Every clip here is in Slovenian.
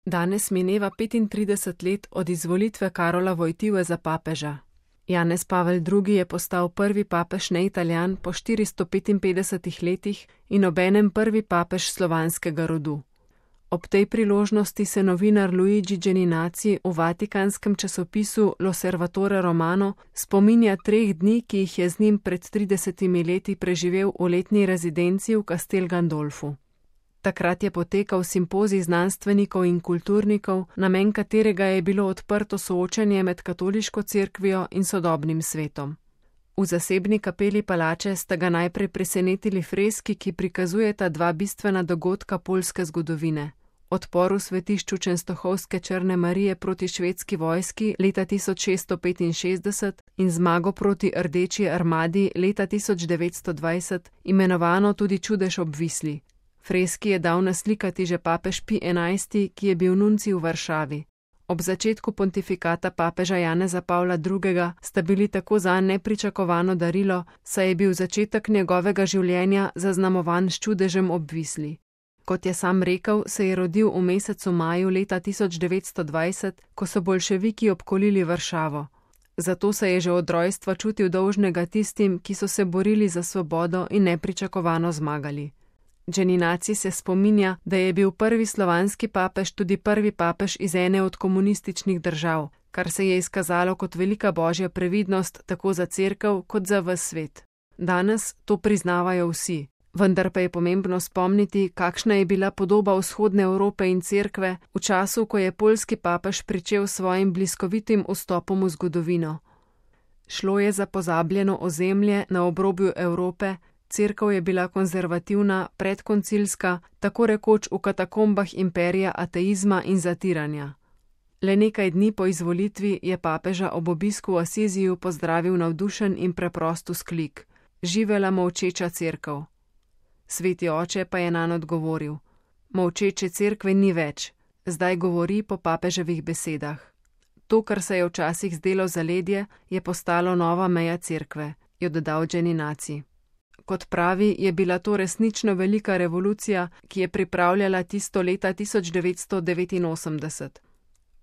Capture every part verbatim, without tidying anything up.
Danes mineva petintrideset let od izvolitve Karola Wojtyły za papeža. Janez Pavel drugi je postal prvi papež neitalijan po štiristo petinpetdesetih letih in obenem prvi papež slovanskega rodu. Ob tej priložnosti se novinar Luigi Geninazzi v vatikanskem časopisu L'Osservatore Romano spominja treh dni, ki jih je z njim pred tridesetimi leti preživel v letni rezidenci v Castel Gandolfu. Takrat je potekal simpozij znanstvenikov in kulturnikov, namen katerega je bilo odprto soočenje med katoliško cerkvijo in sodobnim svetom. V zasebni kapeli palače sta ga najprej presenetili freski, ki prikazujeta dva bistvena dogodka poljske zgodovine. Odpor v svetišču Čenstohovske Črne Marije proti švedski vojski leta tisoč šeststo petinšestdeset in zmago proti Rdeči armadi leta tisoč devetsto dvajset, imenovano tudi Čudež ob Visli. Freski je dal naslikati že papež Pij enajsti, ki je bil nuncij v Varšavi. Ob začetku pontifikata papeža Janeza Pavla drugega sta bili tako zanj nepričakovano darilo, saj je bil začetek njegovega življenja zaznamovan s čudežem ob Visli. Kot je sam rekel, se je rodil v mesecu maju leta tisoč devetsto dvajset, ko so boljševiki obkolili Varšavo. Zato se je že od rojstva čutil dolžnega tistim, ki so se borili za svobodo in nepričakovano zmagali. Geninazzi se spominja, da je bil prvi slovanski papež tudi prvi papež iz ene od komunističnih držav, kar se je izkazalo kot velika božja previdnost tako za cerkev kot za ves svet. Danes to priznavajo vsi, vendar pa je pomembno spomniti, kakšna je bila podoba vzhodne Evrope in cerkve v času, ko je poljski papež pričel s svojim bliskovitim vstopom v zgodovino. Šlo je za pozabljeno ozemlje na obrobju Evrope. Cerkev je bila konzervativna, predkoncilska, tako rekoč v katakombah imperija ateizma in zatiranja. Le nekaj dni po izvolitvi je papeža ob obisku v Asiziju pozdravil navdušen in preprost vzklik: "Živela molčeča cerkev." Sveti oče pa je nanj odgovoril: "Molčeče cerkve ni več, zdaj govori po papeževih besedah. To, kar se je včasih zdelo zaledje, je postalo nova meja cerkve," je dodal Geninazzi. Kot pravi, je bila to resnično velika revolucija, ki je pripravljala tisto leta tisoč devetsto devetinosemdeset.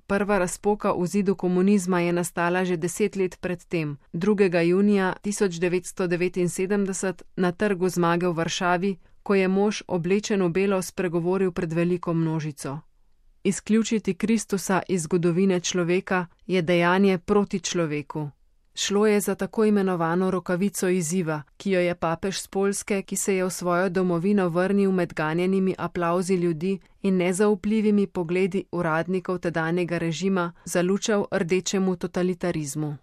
Prva razpoka v zidu komunizma je nastala že deset let pred tem, drugega junija tisoč devetsto devetinsedemdeset na Trgu zmage v Varšavi, ko je mož oblečen v belo spregovoril pred veliko množico. Izključiti Kristusa iz zgodovine človeka je dejanje proti človeku. Šlo je za tako imenovano rokavico izziva, ki jo je papež s Poljske, ki se je v svojo domovino vrnil med ganjenimi aplavzi ljudi in nezaupljivimi pogledi uradnikov tedanjega režima, zalučal rdečemu totalitarizmu.